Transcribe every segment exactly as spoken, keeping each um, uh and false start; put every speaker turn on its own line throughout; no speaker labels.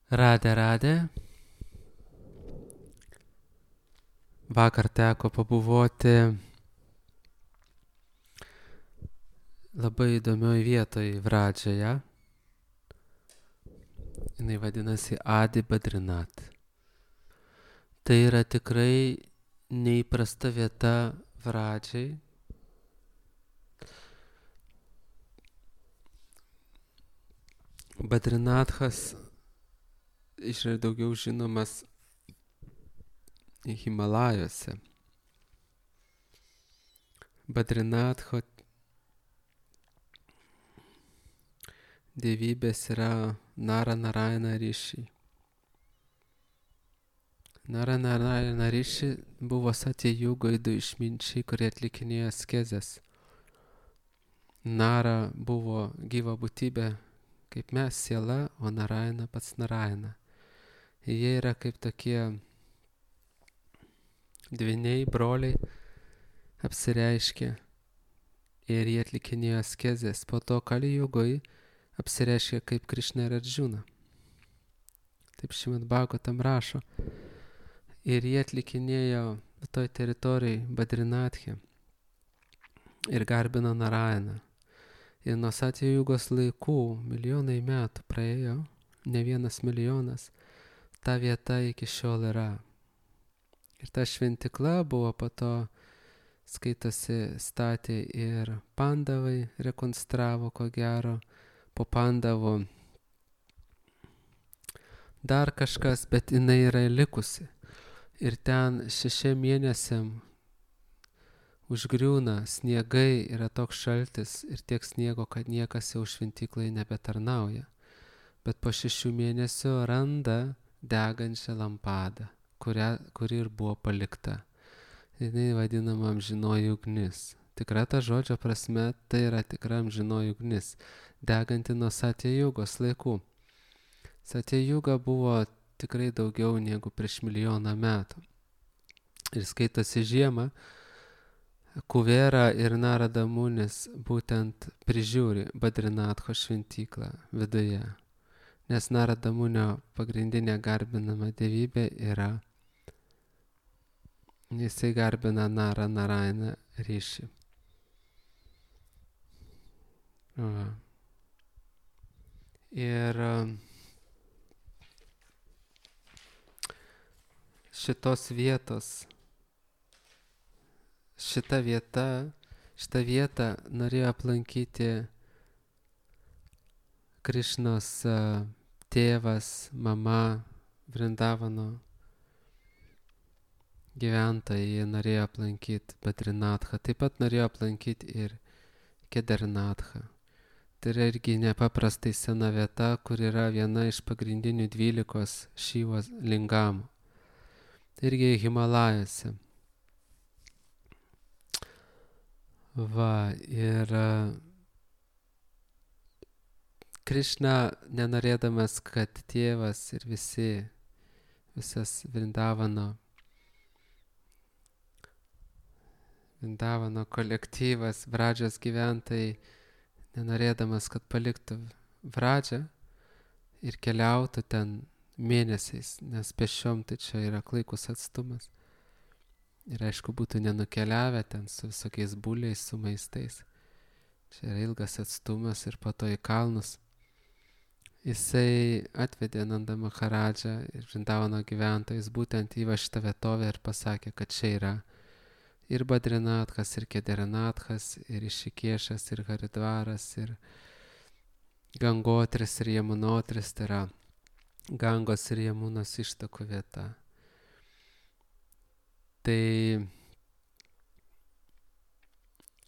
Radė, radė. Vakar teko pabuvoti labai įdomioj vietoj Vradžioje. Jinai vadinasi Adi Badrinat. Tai yra tikrai neįprasta vieta Vradžiai. Badrinathas yra daugiau žinomas Himalajuose. Badrinatho dievybės yra Nara Narayana Rishi. Nara Narayana Rishi buvo Satya Jugoj du išminčiai, kurie atlikinėjo askezes. Nara buvo gyva būtybė, kaip mes, siela, o Narayana pats Narayana. Jie yra kaip tokie dvyniai, broliai, apsireiškė ir jie atlikinėjo askezes. Po to Kali Jugoj apsireiškė kaip Krišna ir Arjuna. Taip Šrimad Bhagavatam rašo. Ir jie atlikinėjo toj teritorijai Badrinathe ir garbino Narayaną. Ir nuo Satya Jugos laikų milijonai metų praėjo, ne vienas milijonas, ta vieta iki šiol yra. Ir ta šventikla buvo po to, skaitosi, statė ir Pandavai, rekonstravo ko gero, po Pandavų dar kažkas, bet jinai yra likusi. Ir ten šešiem mėnesiam užgriūna sniegai, yra toks šaltis ir tiek sniego, kad niekas jau šventyklai nebetarnauja. Bet po šešių mėnesių randa degančią lampadą, kurią, kuri ir buvo palikta. Jinai vadinama amžinoji ugnis. Tikra ta žodžio prasme, tai yra tikra amžinoji ugnis, deganti nuo Satya Jugos laikų. Satya Juga buvo tikrai daugiau negu prieš milijoną metų. Ir skaitosi žiemą, Kuvera ir Narada Munis būtent prižiūri Badrinatho šventyklą viduje. Nes Narada Munio pagrindinė garbinama dievybė yra, jisai garbina Nara Narayana Rishi. Va. Ir šitos vietos, šita vieta, šitą vietą norėjo aplankyti Krišnos tėvas, mama, Vrindavano gyventojai, jie norėjo aplankyti Badrinathą, taip pat norėjo aplankyti ir Kedarnathą. Tai yra irgi nepaprastai sena vieta, kur yra viena iš pagrindinių dvylikos Šivos lingamų. Irgi Himalajuose. Va, ir Krišna, nenorėdamas, kad tėvas ir visi, visas Vrindavano, Vrindavano kolektyvas, Vradžios gyventojai, nenorėdamas, kad paliktų Vradžią ir keliautų ten mėnesiais, nes pešiom tai čia yra klaikus atstumas. Ir aišku, būtų nenukeliavę ten su visokiais buliais, su maistais. Čia yra ilgas atstumas ir po to į kalnus. Jisai atvedė Nanda Maharadžą ir Vrindavano gyventojus būtent į va šitą vietovę ir pasakė, kad čia yra ir Badrinathas, ir Kedarnathas, ir Išikėšas, ir Haridvaras, ir Gangotris, ir Jamunotris, tai yra Gangos ir Jamunos ištakų vieta. Tai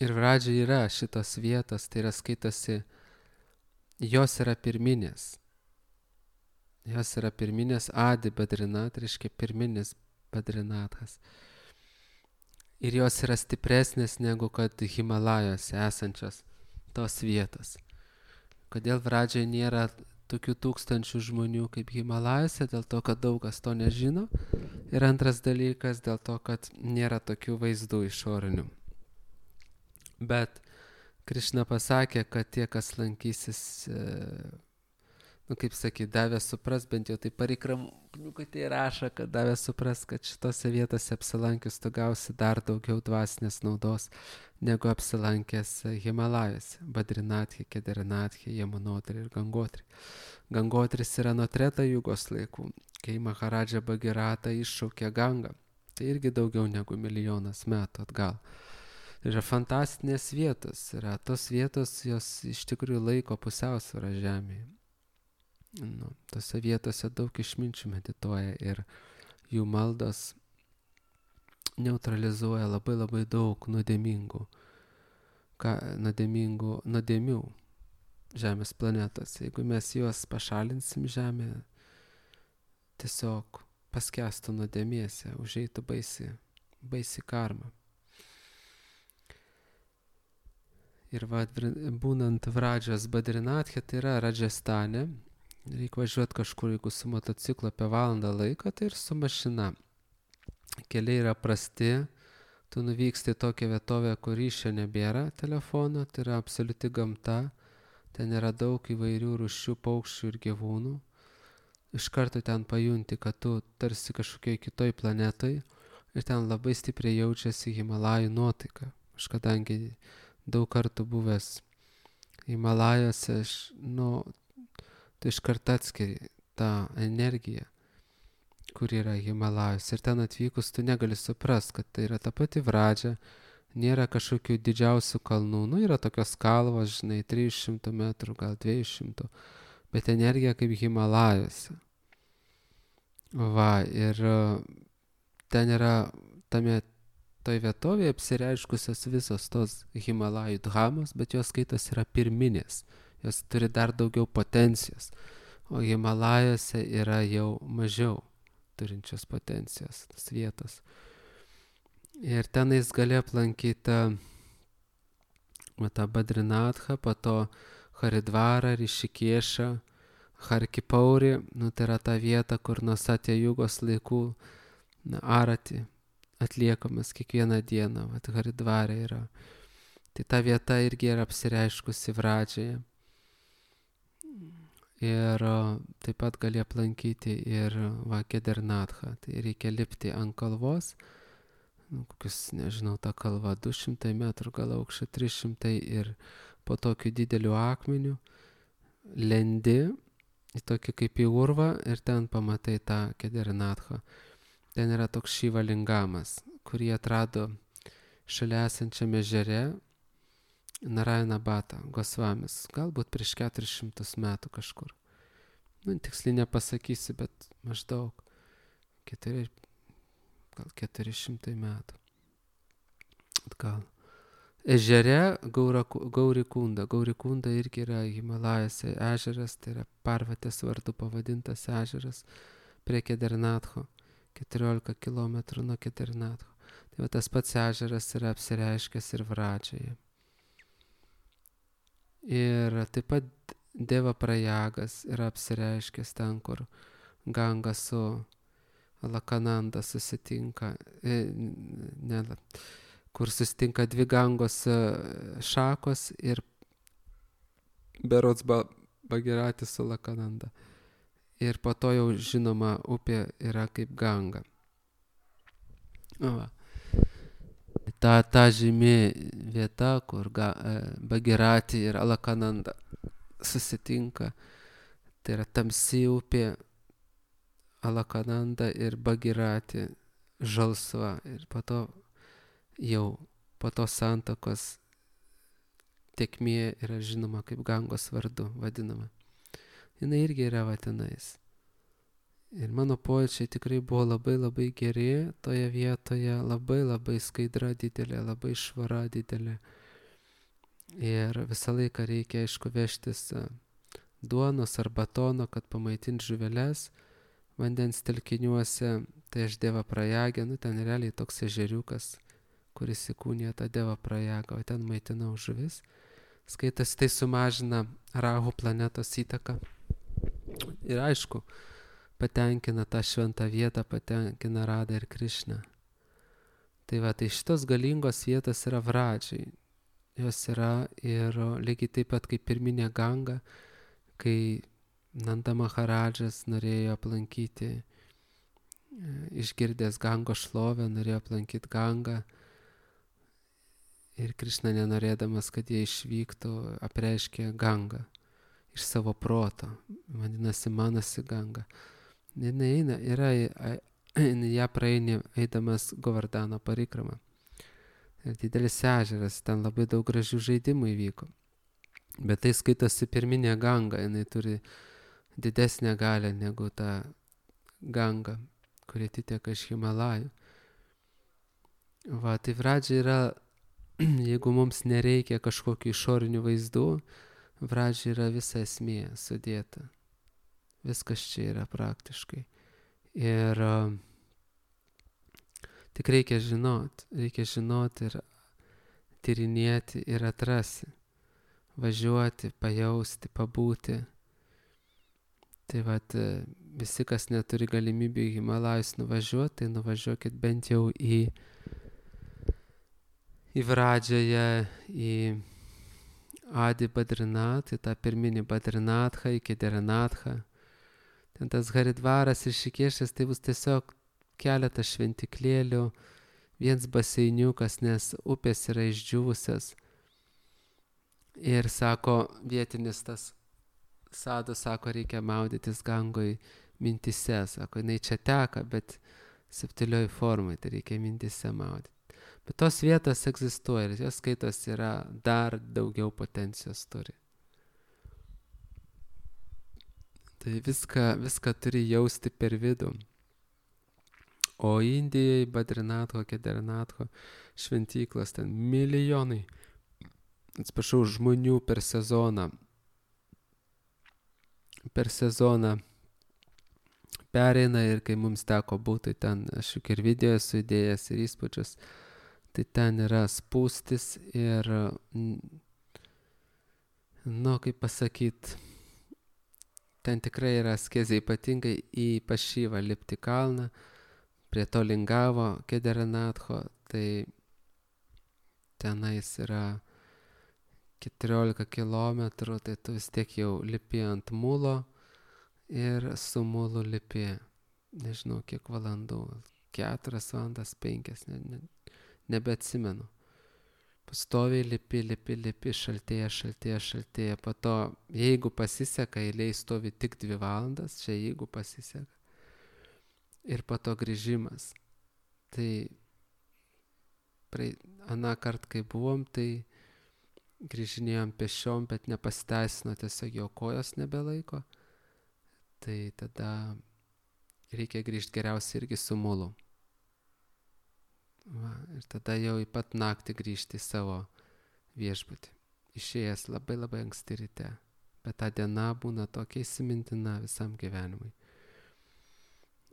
ir Vradžiai yra šitos vietos, tai yra skaitosi, jos yra pirminės. Jos yra pirminės, Adi Badrinat, reiškia pirminis Badrinathas. Ir jos yra stipresnės negu kad Himalajuose esančios tos vietos. Kodėl Vradžiai nėra tokių tūkstančių žmonių kaip Himalajuose? Dėl to, kad daug kas to nežino. Ir antras dalykas, dėl to, kad nėra tokių vaizdų išorinių. Bet Krišna pasakė, kad tie, kas lankysis nu, kaip sakyt, davė supras, bent jau tai pareikramukatė rašo, kad davė supras, kad šitose vietose apsilankius tu gausi dar daugiau dvasinės naudos, negu apsilankęs Himalajose, Badrinathė, Kedarinathė, Yamunotri ir Gangotri. Gangotris yra nuo Treta jugos laikų, kai Maharadža Bagirata iššaukė Gangą. Tai irgi daugiau negu milijonas metų atgal. Yra fantastinės vietos, yra tos vietos, jos iš tikrųjų laiko pusiausvyrą žemėje. Nu, tose vietose daug išminčių medituoja ir jų maldos neutralizuoja labai labai daug nuodėmingų, ką, nuodėmingų nuodėmių žemės planetos. Jeigu mes juos pašalinsim žemėje, tiesiog paskęstų nuodėmėse, užeitų baisi, baisi karma. Ir va, būnant Vradžas Badrinathė, tai yra Radžastane, reikia važiuoti kažkur, jeigu su motociklu apie valandą laiko, tai ir su mašina. Keliai yra prasti, tu nuvyksti į tokią vietovę, kur ryšio nebėra telefono, tai yra absoliuti gamta, ten yra daug įvairių rūšių paukščių ir gyvūnų. Iš karto ten pajunti, kad tu tarsi kažkokioj kitoj planetoj ir ten labai stipriai jaučiasi Himalajų nuotaika. Aš kadangi daug kartų buvęs Himalajose, aš, nu, tu iš karto atskiri tą energiją, kur yra Himalajos. Ir ten atvykus tu negali suprast, kad tai yra ta pati Vradža, nėra kažkokių didžiausių kalnų, nu yra tokios kalvos, žinai, trijų šimtų metrų, gal dviejų šimtų, bet energija kaip Himalajose. Va, ir ten yra tame toj vietovėje apsireiškusios visos tos Himalajų dhamos, bet jos skaitos yra pirminės, jos turi dar daugiau potencijos, o Himalajose yra jau mažiau turinčios potencijos, tas vietos. Ir tenais gali aplankyti tą Badrinathą, po to Haridvarą, Rišikešą, Harkipaurį, nu tai yra ta vieta, kur nuo Satya jugos laikų na, arati atliekamas kiekvieną dieną, vat Haridvarė yra. Tai ta vieta irgi yra apsireiškusi Vradžioje. Ir taip pat gali aplankyti ir va, Kedarinathą. Tai reikia lipti ant kalvos, nu, kokius, nežinau, ta kalva du šimtai metrų, gal aukščio trys šimtai ir po tokiu dideliu akmeniu lendi į tokį kaip į urvą ir ten pamatai tą Kedarinathą. Ten yra toks Šivalingamas, kurį atrado šalia esančiame ežere Narayana Bata Gosvamis, galbūt prieš keturis šimtus metų kažkur. Nu, tiksliai nepasakysiu, bet maždaug keturi, gal keturi šimtai metų. Gal. Ežere Gaurikunda. Gaurikunda irgi yra Himalajose ežeras, tai yra Parvatės vardu pavadintas ežeras prie Kedarinatho, keturiolika kilometrų nuo Kedarinatho. Tai va, tas pats ežeras yra apsireiškęs ir Vradžioje. Ir taip pat Deva Prajagas yra apsireiškęs ten, kur Ganga su Alakananda susitinka, e, ne, kur susitinka dvi Gangos šakos ir berods Bagiratis su Alakananda. Ir po to jau žinoma upė yra kaip Ganga. Va. Ta, ta žymi vieta, kur ga, Bagirati ir Alakananda susitinka, tai yra tamsi upė, Alakananda ir Bagirati žalsva. Ir po to jau po to santakos tekmė yra žinoma kaip Gangos vardu vadinama. Jinai irgi yra va tenais. Ir mano pojūčiai tikrai buvo labai labai geri toje vietoje, labai labai skaidra didelė, labai švara didelė. Ir visą laiką reikia, aišku, vežtis duonos ar batono, kad pamaitint žuveles vandens telkiniuose. Tai aš Deva Prajagę, nu ten realiai toks ežeriukas, kuris įkūnija tą Deva Prajagą, o ten maitinau žuvis. Skaitas, tai sumažina Rahu planetos įtaką. Ir aišku, patenkina tą šventą vietą, patenkina Radą ir Krišną. Tai va, tai šitos galingos vietos yra Vradžiai. Jos yra ir lygiai taip pat kaip pirminė Ganga, kai Nanda Maharadžas norėjo aplankyti, išgirdęs Gango šlovę, norėjo aplankyti Gangą. Ir Krišna, nenorėdamas, kad jie išvyktų, apreiškė Gangą iš savo proto. Vadinasi, manasi Ganga. Jis eina, yra, ją praeini eidamas Govardhano parikramą. Ir didelis ežeras, ten labai daug gražių žaidimų įvyko. Bet tai skaitosi pirminė Ganga, jinai turi didesnę galę negu ta Ganga, kuri atiteka iš Himalajų. Va, tai Vradža yra, jeigu mums nereikia kažkokių išorinių vaizdų, Vradža yra visa esmė sudėta. Viskas čia yra praktiškai. Ir uh, tik reikia žinot, reikia žinot ir tyrinėti ir atrasi. Važiuoti, pajausti, pabūti. Tai vat, visi, kas neturi galimybių į Himalajus nuvažiuoti, tai nuvažiuokit bent jau į, į Vradžąją, į Adi Badrinath, į tą pirminį Badrinathą, į Kedarnathą. Ten tas Haridvaras ir Šikešas, tai bus tiesiog keletas šventiklėlių, viens baseiniukas, nes upės yra išdžiūvusios. Ir sako, vietinis tas Sadu, sako, reikia maudytis Gangoj mintise. Sako, jinai čia teka, bet subtilioj formai, tai reikia mintise maudyti. Bet tos vietos egzistuoja ir jos skaitos yra dar daugiau potencijos turi. Tai viską, viską turi jausti per vidų. O Indijai, Badrinatho, Kedarnatho šventyklos ten milijonai, atsiprašau, žmonių per sezoną. Per sezoną pereina ir kai mums teko būti ten, aš juk ir video esu įdėjęs ir įspūdžius, tai ten yra spūstis ir, nu, kaip pasakyt, ten tikrai yra askezė, ypatingai į Pašyvą lipti kalną, prie to Lingavo, Kedarnatho, tai tenais yra keturiolika kilometrų, tai tu vis tiek jau lipi ant mulo ir su mulu lipi, nežinau kiek valandų, keturias valandas, penkias, ne, ne, nebeatsimenu. Pastoviai lipi, lipi, lipi, šaltėja, šaltėja, šaltėja. Po to, jeigu pasiseka, eilėj stovi tik dvi valandas, čia jeigu pasiseka. Ir po to grįžimas. Tai prai, aną kart, kai buvom, tai grįžinėjom pešiom, bet nepasiteisino, tiesiog jo kojos nebelaiko. Tai tada reikia grįžti geriausiai irgi su mulu. Va, ir tada jau į pat naktį grįžti į savo viešbutį. Išėjęs labai labai anksti ryte. Bet ta diena būna tokia įsimintina visam gyvenimui.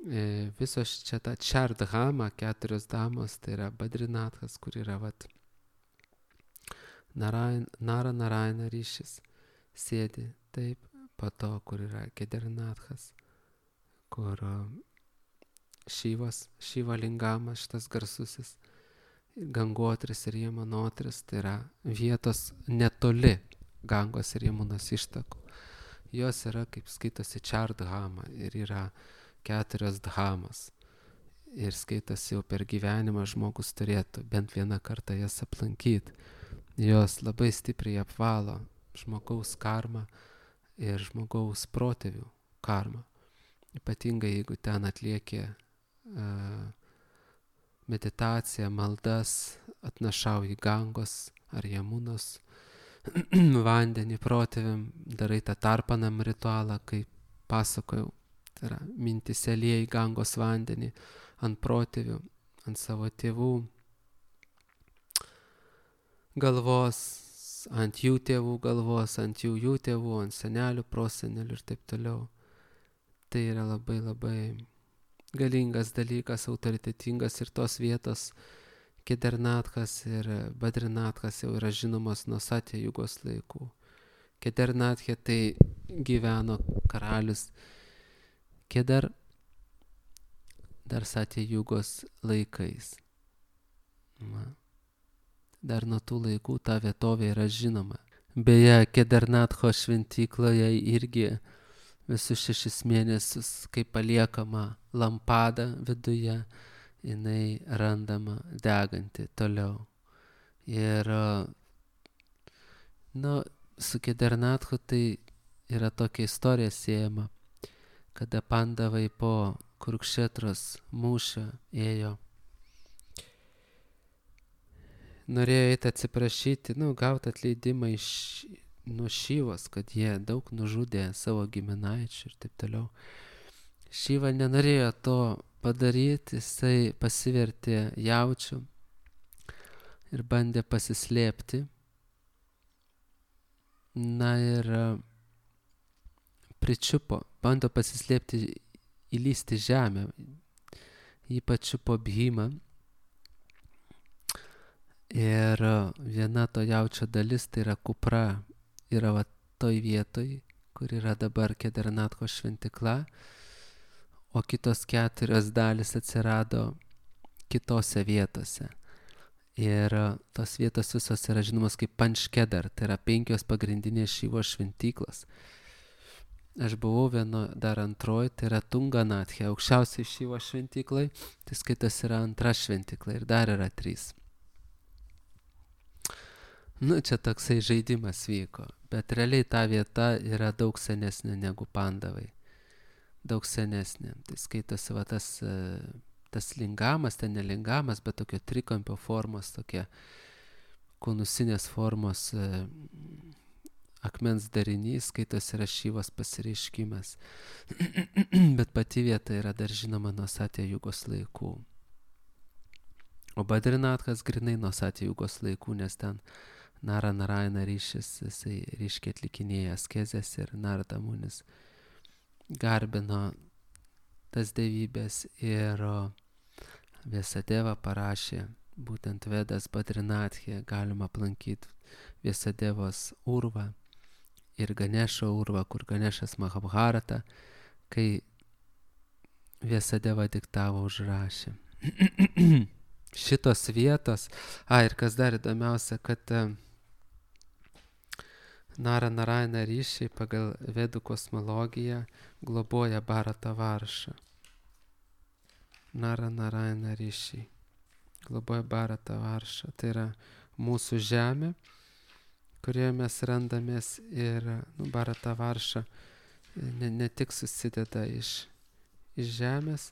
E, visos čia ta Čardhama, keturios damos, tai yra Badrinathas, kur yra vat Narayan, Nara Narayana ryšis, sėdi taip, po to, kur yra Kedarnathas, kur Šyvas, Šyva Lingamas, šitas garsusis, Gangotris ir Jamunotris, tai yra vietos netoli Gangos ir Jamunos ištakų. Jos yra, kaip skaitosi, Čardhama ir yra keturios dhamos. Ir skaitosi jau per gyvenimą žmogus turėtų bent vieną kartą jas aplankyti. Jos labai stipriai apvalo žmogaus karmą ir žmogaus protėvių karmą. Ypatingai jeigu ten atlieki uh, meditaciją, maldas, atnašauji Gangos ar Jamunos vandenį protėviam, darai tą tarpanam ritualą, kaip pasakojau. Tai yra mintise lieji Gangos vandenį ant protėvių, ant savo tėvų galvos, ant jų tėvų galvos, ant jų jų tėvų, ant senelių, prosenelių ir taip toliau. Tai yra labai labai galingas dalykas, autoritetingas ir tos vietos Kedarnathas ir Badrinathas jau yra žinomos nuo Satya Jugos laikų. Kedarnathė tai gyveno karalius Kedar dar Satya Jugos laikais. Va. Dar nuo tų laikų ta vietovė yra žinoma. Beje, Kedarnatho šventykloje irgi visus šešis mėnesius, kai paliekama lampada viduje, jinai randama deganti toliau. Ir nu, su Kedernathu tai yra tokia istorija siejama, kada pandavai po Kurukšetros mūšio ėjo. Norėjo eiti atsiprašyti, nu, gauti atleidimą iš nuo Šyvos, kad jie daug nužudė savo giminaičių ir taip toliau. Šyva nenorėjo to padaryti, jisai pasivertė jaučiu ir bandė pasislėpti. Na ir pričiupo, bando pasislėpti, įlysti žemę. Jį pačiupo Bhima. Ir viena to jaučio dalis, tai yra kupra, yra va toj vietoj, kur yra dabar Kedernatho šventikla, o kitos keturios dalis atsirado kitose vietose. Ir tos vietos visos yra žinomos kaip Pančkedar, tai yra penkios pagrindinės Šyvos šventyklos. Aš buvau vieno dar antroji, tai yra Tunganathė, aukščiausiai Šyvos šventyklai, tai skaitas yra antra šventykla ir dar yra trys. Nu, čia toksai žaidimas vyko, bet realiai ta vieta yra daug senesnė negu pandavai. Daug senesnė. Tai skaitosi va tas, tas lingamas, ten ne lingamas, bet tokio trikampio formos, tokia konusinės formos akmens darinys, skaitosi yra Šyvos pasireiškimas. Bet pati vieta yra dar žinoma nuo Satya Jugos laikų. O Badrinathas grinai nuo Satya Jugos laikų, nes ten Nara Narayana ryšis, jisai ryškiai atlikinėja askezės ir Narada Munis garbino tas dievybės ir Vyasadeva parašė būtent Vedas Badrinathė, galima aplankyti Vyasadevos urvą ir Ganešo urvą, kur Ganešas Mahabharata, kai Vyasadeva diktavo, užrašė. Šitos vietos, a ir kas dar įdomiausia, kad Nara Narayana ryšiai pagal Vedų kosmologiją globoja Bharata Varšą. Nara Narayana ryšiai globoja Bharata Varšą. Tai yra mūsų žemė, kurioje mes randamės ir nu, Bharata Varša ne, ne tik susideda iš, iš žemės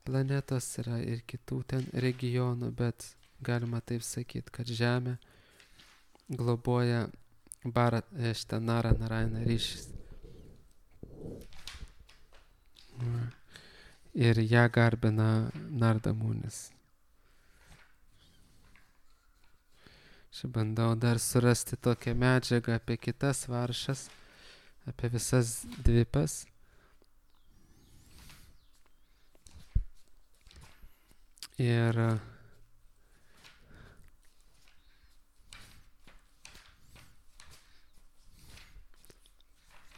planetos, yra ir kitų ten regionų, bet galima taip sakyti, kad žemė globoja Bharat, šitą Nara Narayana ryšys. Ir ją garbina Narada Munis. Aš bandau dar surasti tokią medžiagą apie kitas varšas, apie visas dvipas. Ir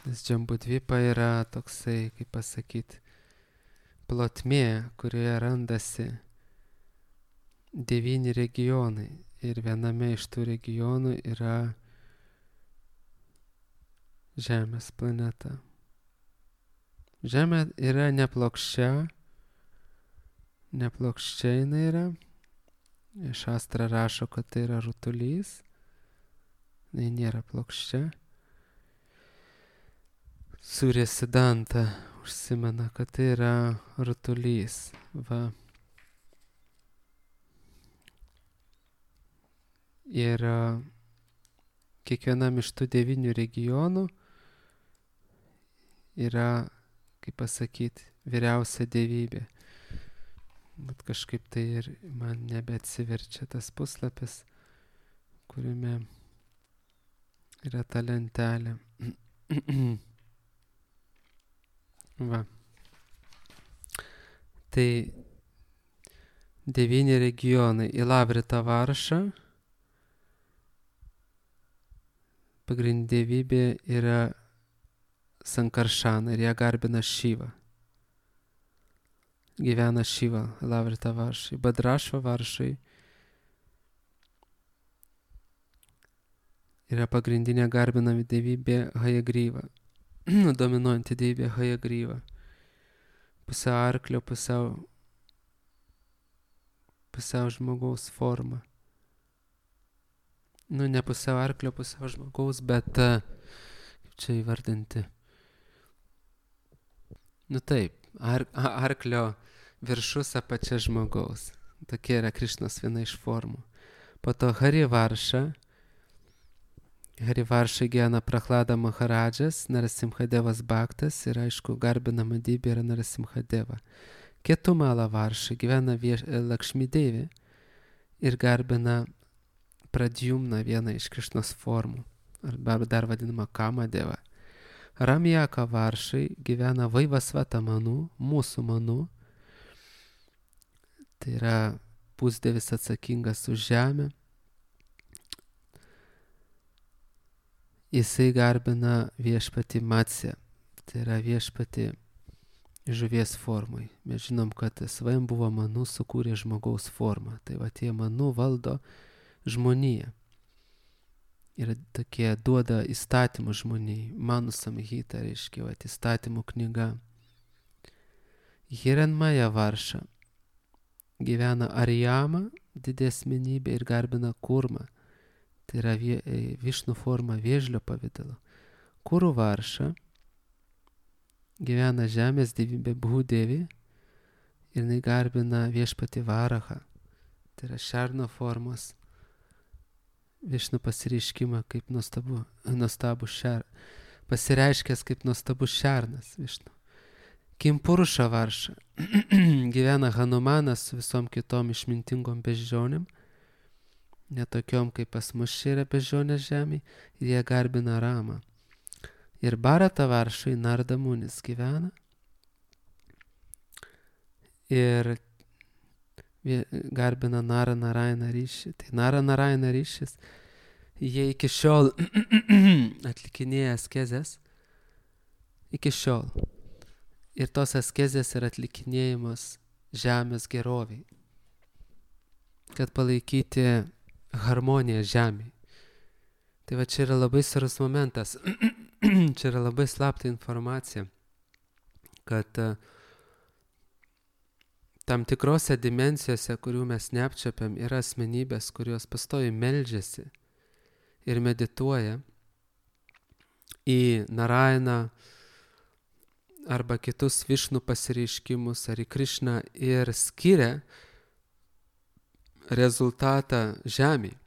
nes Džambudvipa yra toksai, kaip pasakyti, plotmė, kurioje randasi devyni regionai. Ir viename iš tų regionų yra Žemės planeta. Žemė yra neplokščia, neplokščia jinai yra. Šastra rašo, kad tai yra rutulys. Tai nėra plokščia. Surya Siddhanta užsimena, kad tai yra rutulys. Va. Ir kiekvienam iš tų devynių regionų yra, kaip pasakyti, vyriausia dievybė. Bet kažkaip tai ir man nebeatsiverčia tas puslapis, kuriame yra ta lentelė. Va. Tai devyni regionai. Ilavrita Varša, pagrindinė dievybė yra Sankaršana ir ją garbina Šyva. Gyvena Šyva Ilavrita Varšai. Badrašva Varšai yra pagrindinė garbinami dievybė Hayagryva. dominuojanti dievybė Hajagryva. Pusiau arklio, pusiau, pusiau žmogaus forma. Nu, ne pusiau arklio, pusiau žmogaus, bet kaip čia įvardinti. Nu taip, ar, arklio viršus, apačia žmogaus. Tokia yra Krišnos viena iš formų. Po to Harivarša. Harivarša gyvena Prahlada Maharadžas, Narasimhadevas Bhaktas ir aišku garbinama dievybė yra Narasimhadeva. Ketumala Varša gyvena vieš, Lakšmi Devi ir garbina Pradjumna, viena iš Krišnos formų, arba dar vadinama Kamadeva. Ramjaka Varšai gyvena Vaivasvata Manu, mūsų Manu. Tai yra pusdievis atsakingas už žemę. Jisai garbina viešpatį Matsę, tai yra viešpatį žuvies formai. Mes žinom, kad Svajam buvo Manu sukūrė žmogaus formą. Tai va tie Manu valdo žmoniją. Ir tokie duoda įstatymų žmonijai. Manu Samhita reiškia, va, įstatymų knyga. Hiranmaja Varša gyvena Arijama, didesmenybė ir garbina Kurmą. Tai yra vie, Višnu forma vėžlio pavidalo. Kuru Varša gyvena žemės dievybė Bhudevi ir jinai garbina viešpatį Varahą. Tai yra šerno formos Višnu pasireiškimą kaip nuostabu, nuostabu šer, pasireiškęs kaip nuostabus šernas Višnu. Kimpuruša Varša gyvena Hanumanas su visom kitom išmintingom beždžionėm, netokiom kaip pas mus čia yra beždžionės žemė, ir jie garbina Ramą. Ir Bharata Varšai Narda Munis gyvena ir garbina Nara Narayana ryšį. Tai Nara Narayana ryšis, jie iki šiol atlikinėja askezės, iki šiol. Ir tos askezės yra atlikinėjimas žemės geroviai, kad palaikyti harmoniją žemėje. Tai va čia yra labai svarbus momentas, čia yra labai slapta informacija, kad uh, tam tikrose dimensijose, kurių mes neapčiapiam, yra asmenybės, kurios pastoviai meldžiasi ir medituoja į Narayaną arba kitus Višnu pasireiškimus ar į Krišną ir skiria rezultatą žemėje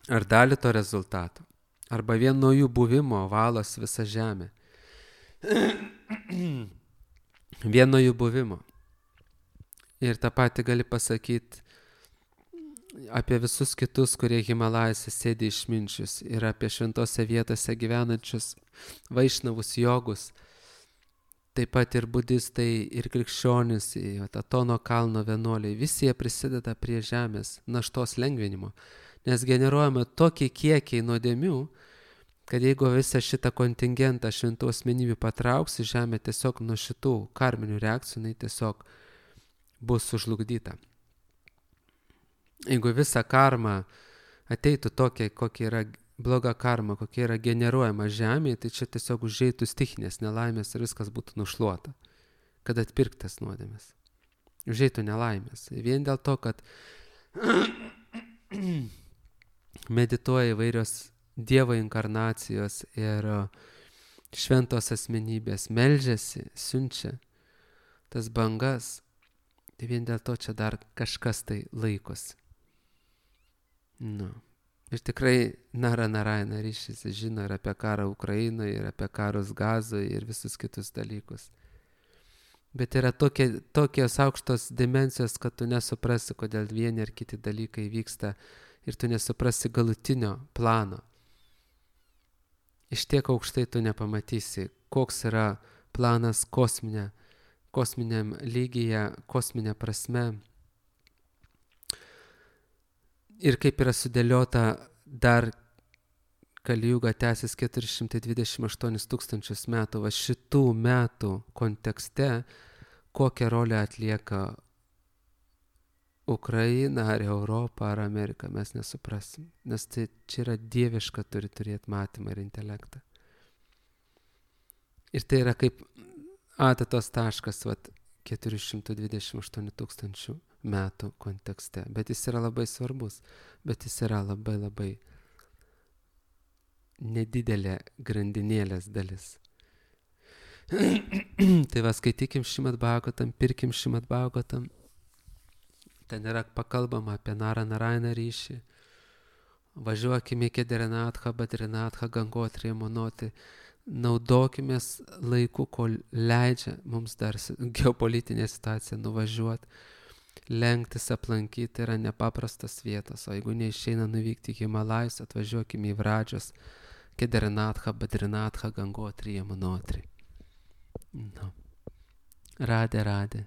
ar dalį to rezultato arba vien nuo jų buvimo valos visą žemę. Vien nuo jų buvimo. Ir tą patį gali pasakyti apie visus kitus, kurie Himalajose sėdi išminčius ir apie šventose vietose gyvenančius vaišnavus jogus, taip pat ir budistai, ir krikščionis, Atono kalno vienuoliai, visi jie prisideda prie žemės naštos lengvinimo, nes generuojama tokie kiekiai nuodėmių, kad jeigu visą šitą kontingentą šventų asmenybių patrauksi, žemė tiesiog nuo šitų karminių reakcijų, jinai tiesiog bus sužlugdyta. Jeigu visa karma ateitų tokia, kokia yra bloga karma, kokia yra generuojama žemėje, tai čia tiesiog užeitų stichinės nelaimės ir viskas būtų nušluota, kad atpirktas nuodėmės. Užeitų nelaimės. Vien dėl to, kad medituoja įvairios Dievo inkarnacijos ir šventos asmenybės, meldžiasi, siunčia tas bangas. Tai vien dėl to čia dar kažkas tai laikosi. Nu. Ir tikrai Nara Narayana ryšys žino ir apie karą Ukrainoje, ir apie karus Gazoje, ir visus kitus dalykus. Bet yra tokie, tokios aukštos dimensijos, kad tu nesuprasi, kodėl vieni ar kiti dalykai vyksta, ir tu nesuprasi galutinio plano. Iš tiek aukštai tu nepamatysi, koks yra planas kosminė, kosminiam lygyje, kosminė prasme. Ir kaip yra sudėliota dar Kalijuga tęsis keturi šimtai dvidešimt aštuonis tūkstančius metų, va šitų metų kontekste, kokią rolę atlieka Ukraina, ar Europa, ar Amerika, mes nesuprasim. Nes tai čia yra dieviška, turi turėti matymą ir intelektą. Ir tai yra kaip adatos taškas, vat, keturi šimtai dvidešimt aštuoni tūkstančių metų kontekste. Bet jis yra labai svarbus, bet jis yra labai labai nedidelė grandinėlės dalis. Tai va, skaitykim Šrimad Bhagavatam, pirkim Šrimad Bhagavatam. Ten yra pakalbama apie Narą Narainą ryšį. Važiuokime į Kederinathą, Badrinathą, Gangotriją, Monotį. Naudokimės laiku, kol leidžia mums dar geopolitinė situacija nuvažiuoti. Lenktis, aplankyti yra nepaprastas vietas. O jeigu neišeina nuvykti į Himalajus, atvažiuokime į Vradžios, Kederinathą, Badrinathą, Gangotriją, Monotį. No. Radė, radė.